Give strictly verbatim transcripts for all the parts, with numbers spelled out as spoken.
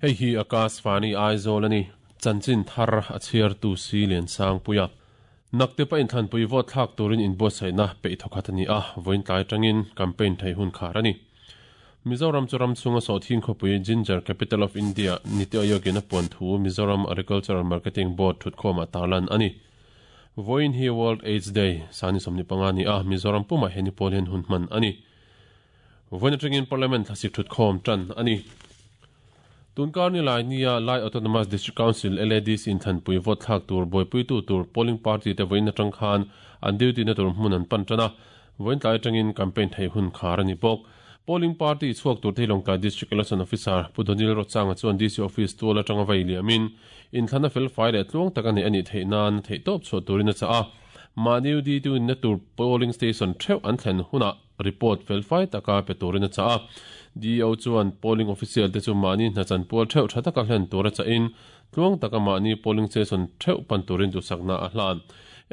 Hei hi Akashvani Aizawl ani chanchin thar a chhiar tu si lian sang puia nakte pa in thlanpui vote thlak turin in buatsaihna peih thawkhat ani a vawiin tlai tangin campaign thei hun khar ani Mizoram chu ram chunga sawhthing khawpui Ginger Capital of India Niti Aayog-in a puan thu Mizoram Agricultural Marketing Board thutkhawm ah tarlan ani vawiin hi World AIDS Day sani sawmni panga ni a Mizoram pumah hian pawl hian hun hman ani vawiin atangin Parliament thlasik thutkhawm tan ani Tunkar ni lai nia Lai Autonomous District Council L A D C in thanpui vote thlak tur buaipui tu tur polling party te vawiin atang khan an duty na tur hmun an pan tana vawiin tlai atangin campaign thei hun khar ani bawk polling party chhuak tur thei Lawngtlai District Election Officer Pudonil Rochanga chuan D C office tual atanga vai liamin in thlana fel fai leh tluang tak ani ani theih nan theih tawp chhuah turin a cha a mahni D tu in na tur polling station theuh an thlen huna report fel fai taka pe turin a cha a D O chuan polling official te chu mahni hnachan pual theuh tha taka hlen tur a cha in tluang taka mahni polling station theuh pan turin du sakna a hlan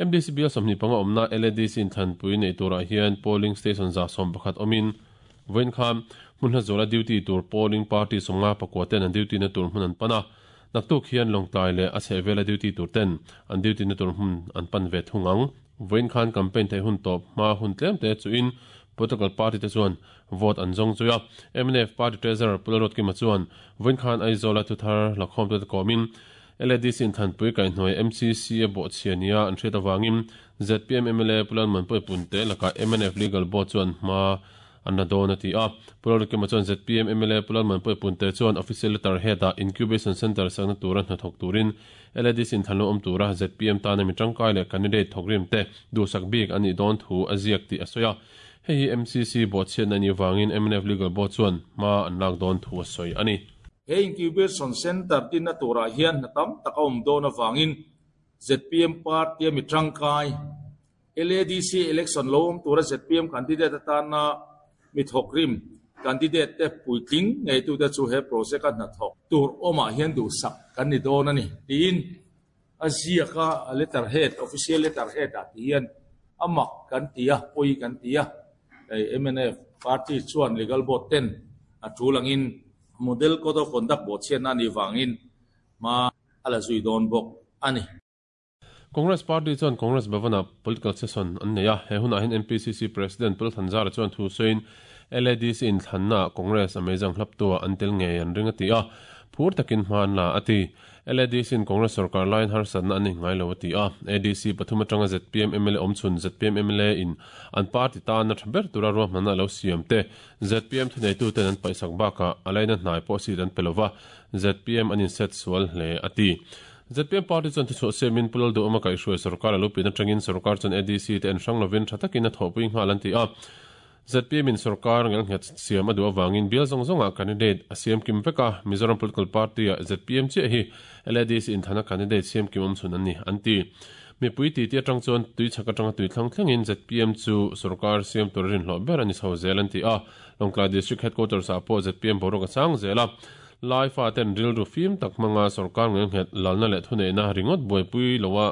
M D C bial sawmhnih panga awmna L A D C in thanpui nei turah hian polling station za sawm pakhat awmin vawiin khan hmun hla zawla duty tur polling party sawmnga pakua ten an duty na tur hmun an pan a naktuk hian Lawngtlai leh a chhehvela duty tur ten an duty na tur hmun an pan ve thung ang vawiin khan campaign thei hun tawp hma hun tlem te chu in political party te chuan vote an zawng chuia M N F party treasurer Pularot Kima chuan vawiin khan Aizawl a thuthar lakhawm te kawmin L A D C in thanpui kaihhnuai M C C a bawhchhia nia an hriat awangin Z P M M L A Pulan Manpui Punte laka M N F legal board chuan hma an la dawn a ti a Pularot Kima chuan Z P M M L A Pulan Manpui Punte chuan official letter head a incubation center sakna tura hnathawk turin L A D C in thanlo awm tura Z P M tana mi tangkai leh candidate thawkrim te duhsak bik ani dawn thu a ziak tih a sawi a hei hi M C C bawhchhiat ani wangin M N F legal board chuan hma an lak dawn thu a sawi ani he incubation center tin na turah hian hna tam tak a awm dawn awangin Z P M party mi tangkai L A D C election lo awm tura Z P M candidate atana mi thawkrim candidate te puitling ngei tu te chu he project a hna thawk tur awmah hian duhsak kan ni dawn ani tiin a ziaka a letter head official letter head ah ti hian amak kan ti a pawi kan ti a M N F party chuan legal board ten a tulangin model code of conduct bawhchhiat na ni wangin ma ala zui dawn bawk ani Congress party chuan Congress Bhavana political session an nei a he hunah hian M P C C president Pul Thanzara chuan thu sawiin L A D C in thlanna Congress a meizang hlap tua an tel ngei an ring a ti a phur takin hman la a ti L A D C in Congress sarkar line harsatna ani ngai lo a ti a A D C pathum atanga Z P M M L A awmchhun Z P M M L A in an party tan na thaber tura ruahmanna lo siam te Z P M thuneitu ten an paihsak bakah a laina hnai pawh seat an pe lova Z P M an inset sual hle a ti Z P M party chuan thuchhuah siamin Pulal du awma kaihhruai sarkar a lo pin atangin sarkar chuan A D C te an hrang lovin tha takin a thawhpui nghal an ti a Z P M in sarkar ngel nghet siam a duh awangin bial zawng zawngah candidate a siam kim veka Mizoram political party a Z P M chiah hi L A D C in thana candidate siam kim awm chhun an ni an ti mipui ti ti atang chuan tui chhak atanga tui thlang thlengin Z P M chu sarkar siam tur rin hlawh ber ani chho zel an ti a Lawngtlai District Headquarters ah pawh Z P M boruak a sang zel a lai fa ten rilru fim tak hmanga sarkar ngel nghet lalna leh thuneihna ringawt buaipui lowa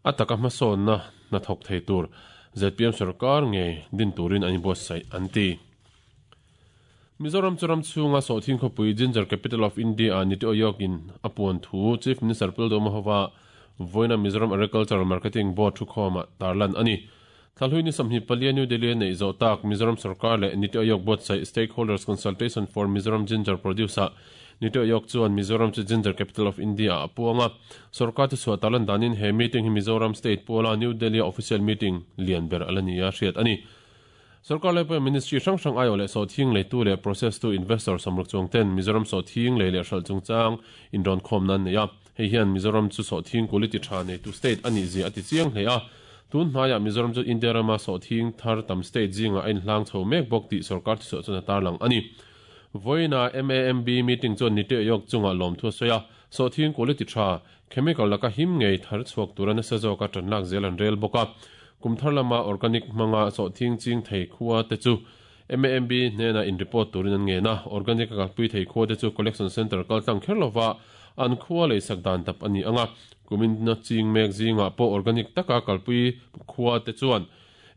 a taka hmasawnna hna thawk thei tur Z P M sarkar nge din turin ani buatsaih an ti Mizoram churam chhunga sawhthing khawpui Ginger Capital of India Niti Aayog in a puan thu Chief Minister Pul Hova vawiina Mizoram Agricultural Marketing Board thukhawmah tarlan ani Thalhui ni sawmhnih palia New Delhi nei zawh tak Mizoram sarkar leh Niti Aayog buatsaih Stakeholders Consultation for Mizoram Ginger Producer Niti Aayog chuan Mizoram chu Ginger Capital of India a puanga sarkar chu chhuah tarlan danin he meeting hi Mizoram State Puala New Delhi official meeting lian ber alania hriat ani sarkar lai ministry hrang hrang aio leh sawhthing leitu leh process to investor samruk chuang ten Mizoram sawhthing lei leh hral chungchang in rawn khawm nan nei a hei hian Mizoram chu sawhthing quality tha nei tu state ani zia a ti chiang hle a tun hnaia Mizoram chu India rama sawhthing thar tam state zinga a inhlang chho mek bawk tih sarkar chu chhuah chuan a tarlang ani vawiina M A M B meeting chuan Niti Aayog chunga lawm thu a sawi a sawhthing quality tha chemical laka him ngei thar chhuak tura nasa zawka tan lak zel an rel bawk a kumthar lama organic hmanga sawhthing ching thei khua te chu M A M B hnena in report turin an nge na organic a kalpui thei khua te chu collection center kaltlang kher lova an khua lei sak dan tap ani anga kumin na ching mek zinga pawh organic taka kalpui khua te chuan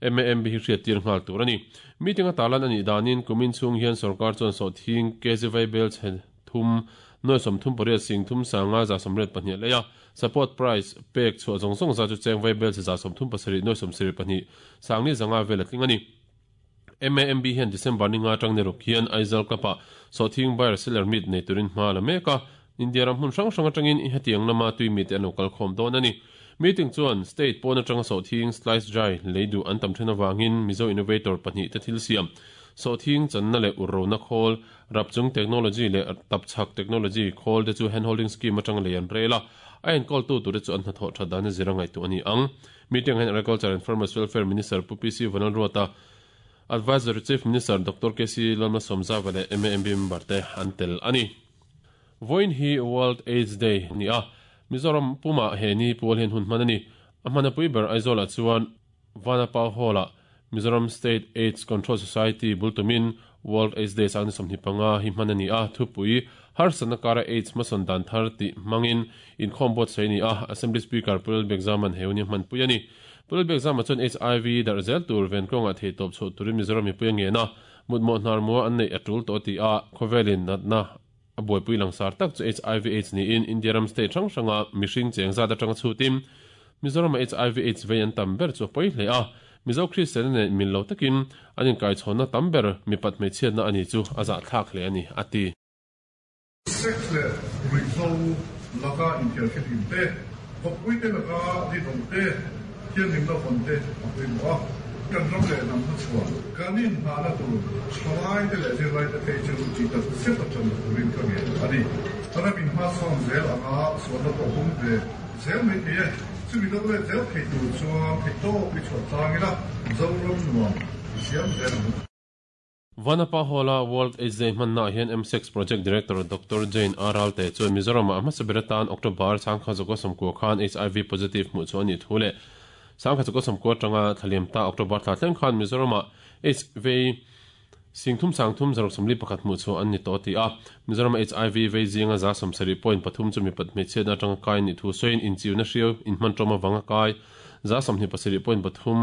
M A M B hi hriat tir nghal tur ani meeting a talan ani danin kumin chung hian sarkar chuan sawhthing K G V bel chhe thum noi som thum pariat sing thum sanga za somret pahnih leia support price pek chu zong zong za chu cheng vai bel za som thum pasari noi som seri pahnih sangni zanga vel atling ani M A M B hian December ni nga tang ne ruk hian Aizawl kapa so thing buyer seller meet nei turin hma la meka India ram hun hrang hrang atangin i hetiang lama tui mi te an lo kal khawm dawn ani meeting chuan state pawn atanga so thing slice dry leidu an tam then awangin Mizo innovator pahnih te thil siam so thing channa le urrona khawl rapchung technology le tapchak technology khawl te chu handholding scheme atang le an rela a en call tu tur chu an hnathawh tha dan zirangai tu ani ang meeting hian Agriculture and Farmers Welfare Minister Pu P C Vanlalruata Advisor Chief Minister Doctor K C Lalma Somza le M A M B member te an tel ani Voin hi World AIDS Day ni a Mizoram puma he ni pual hen hun manani amana pui ber Aizawl chuan Vanapa Hall Mizoram State AIDS Control Society bultumin World AIDS Day sang somni panga hi manani a thupui har sanakara AIDS mason dan thar ti mangin in khombot seini a Assembly Speaker Pul Bekzaman heuni man puyani Pul Bekzama chuan H I V dar zel tur ven konga thei top chu turin Mizoram mi puyange na mutmo hnar mo an nei atul to ti a khovelin natna aboi pui langsar tak chu H I V AIDS ni in India ram state hrang hranga mihring cheng za atanga chutim Mizoram H I V AIDS vei an tam ber chu poi hle a Mizo Christian ne min lo takin anin kai chhona tam ber mi pat mei chiat na ani chu aza thlak hle ani ati sex le ruizo laka inter te kopui te laka ri dong te hian lim la fon te apui mo kan ram le nam na chua kanin na na tu chalai te le zir lai te phei chu chi ta se ta chan rin ka nge ani tara min ma som zel anga so na ko hum ve zel me te chu mi do le zel phei tu chuan phei to pi chu chang ila zo ram nuam siam zel Vanapa Hall World AIDS Day manna hian M six Project Director Doctor Jane Aral te chuan Mizoram a hmasabiratan October sangkha zoko somku khan H I V positive mu chu ani thule sangkha zoko somku tanga thaliam ta October thla thleng khan Mizoram a H V singthum sangthum zarok somli pakhat mu chu an ni to ti a Mizoram H I V vei zinga za somsari point pathum chu mi pat me che na tanga kai ni thu soin in chiu na hriu in hman toma wanga kai za samni pasiri point pathum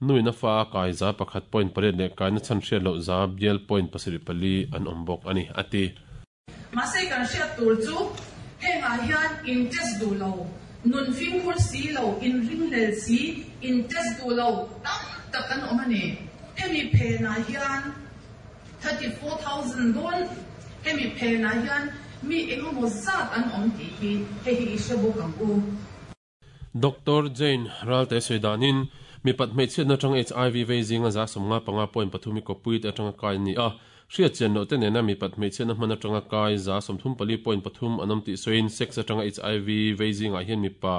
nui na fa kai za pakhat point pare le kai na chan hriat lo za bial point pasiri pali an ombok ani ati ma se kan hriat tur chu henga hian in test du lo nun fim khur si lo in ring lel si in test du lo tam tak kan om ani hemi phe na hian thirty-four thousand don hemi phe na hian mi engemaw zat an om ti hi he hi ishabu kang u Doctor Jane Ralte Suidanin mi pat mei chiat na tang H I V vei zinga za somnga panga point pathumi ko puit atanga kai ni a hriat chen no te nena mi pat mei chiat na hman atanga kai za somthum pali point pathum anom ti soin sex atanga H I V vei zinga hian mi pa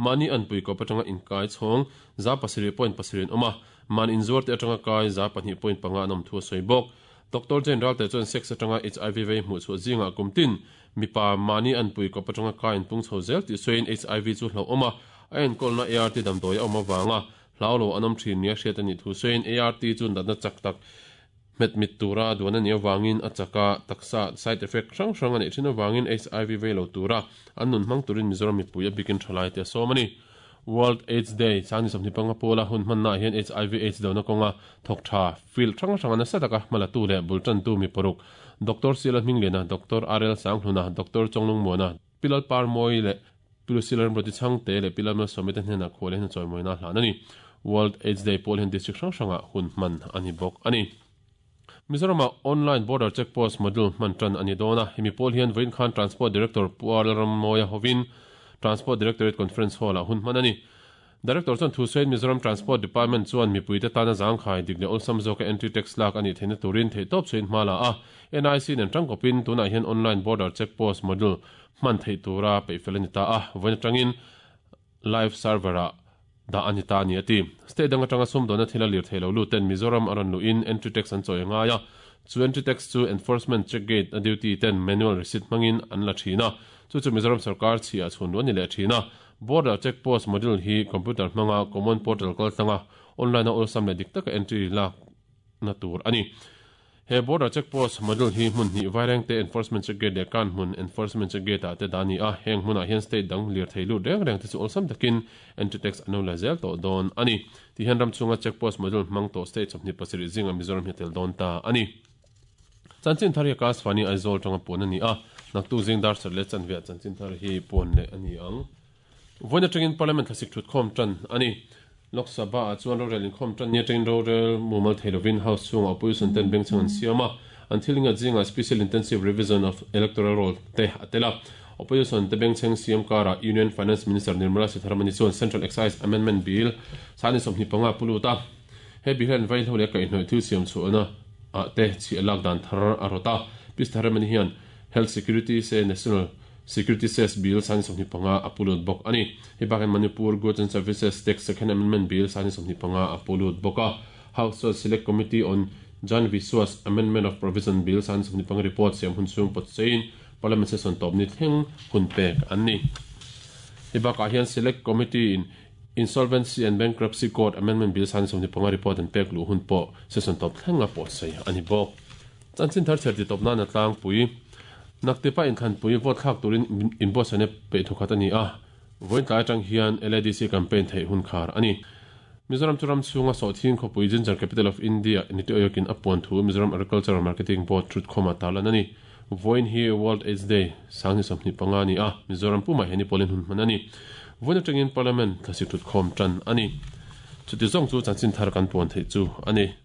mani an pui ko patanga in kai chhong za pasiri point pasirin oma man in zuar te atanga kai za pahnih point panga anom thu soi bok Doctor Jane Ralte chuan sex atanga H I V vei hmu chu zinga kumtin mi pa mani an pui ko patanga kai in pung chho zel ti soin H I V chu hlo oma ain kolna A R T dam doi oma wanga hlaulo anom thin nia hriat ani thu soin A R T chu natna chak tak met mit tura duan ani awangin achaka taksa side effect hrang hrang ani thin awangin H I V vei lo tura an nun hmang turin Mizoram mipui a bikin thalai te somani World AIDS Day chani somni panga pola hun manna hian H I V AIDS dona konga thok tha field hrang hrang ana sataka malatu le bultan tu mi poruk Doctor Sila Minglena Doctor R L Sanghluna Doctor Chonglung Mona Pilal Parmoi le Pilusilan roti chang te le pilam someten hena khole hena choimoina hlanani World AIDS Day pol hen district hrang hranga hun man ani bok ani Mizoram online border checkpost module man tran ani dona hemi pol hian voin khan Transport Director Puar Rammoya Hovin Transport Directorate Conference Hall a hun man ani Director chuan thu sain Mizoram Transport Department chuan mipuite tana zangkhai digle awlsam zawka entry tax lak ani theina turin thei top chuin hmala a N I C nen tangkopin tunah hian online border checkpost module man thei tura peifel ani ta a voin atangin live server a da ani ta ni ati state dang atanga sum dona thila lir theilo lu ten Mizoram aran lu in entry tax an choi nga ya chu entry tax chu enforcement check gate a duty ten manual receipt mangin an la thina chu chu Mizoram sarkar chi a chhun ni le thina border check post module hi computer manga common portal kal tanga online a awlsam le dik taka entry la na tur ani he border check post module hi mun hi vaireng te enforcement check gate le kan mun enforcement check gate ate dani a heng hmuna hian state dang lir theilu reng reng te chu awlsam takin entry tax anu la zel to don ani ti hian ram chunga check post module hmang to state chawpni pasarih zinga Mizoram hi tel don ta ani chanchin thari ka swani Aizawl tanga pun ani a Naktuk zing dar sarih leh chanve ah chanchin thar hi puan leh a ni ang. Vawiin atangin Parliament thlasik thutkhawm tan a ni. Lok Sabha ah chuan rorel inkhawm tan ni atangin rorel mumal thei lovin House chhungah opposition ten bengchheng an siam a, an thil ingat zingah Special Intensive Revision of Electoral Roll te a tel a. Opposition te bengchheng siam karah Union Finance Minister Nirmala Sitharaman chuan Central Excise Amendment Bill sani sawmhnih panga a pu lut a. He bill hian vaihlo leh kaihhnawih thil siam chhuahna ah te chhiah lak dan thar a rawt a. Pi Sitharaman hian Health Security se National Security Cess Bill sani sawmhnih panga a pu lut bawk a ni. Hei bakah Manipur Goods and Services Tax Second Amendment Bill sani sawmhnih panga a pu lut bawk a. House chuan Select Committee on Jan Viswas Amendment of Provision Bill sani sawmhnih panga report siam hun chhung pawt cheiin Parliament session tawp ni thleng hun pek an ni. Hei bakah hian Select Committee in Insolvency and Bankruptcy Code Amendment Bill sani sawmhnih panga report an pek luh hun pawh session tawp thleng a pawt sei a ni bawk. Chanchin thar chher ti tawp nan a tlangpui. Naktipa inthlanpui vote thlak turin inbuatsaihna peih thawkhat a ni a, vawiin tlai atang hian L A D C campaign theih hun khar a ni. Mizoram chu ram chhunga sawhthing khawpui Ginger Capital of India Niti Aayog-in a puan thu Mizoram Agricultural Marketing Board thutkhawm a tarlan a ni. Vawiin hi World AIDS Day sang ni sawmhnih panga a ni a, Mizoram pumah hian i pawlin hun hman a ni. Vawiin atangin Parliament thlasik thutkhawm tan a ni. Chuti zawng chu chanchin thar kan puan theih chu a ni.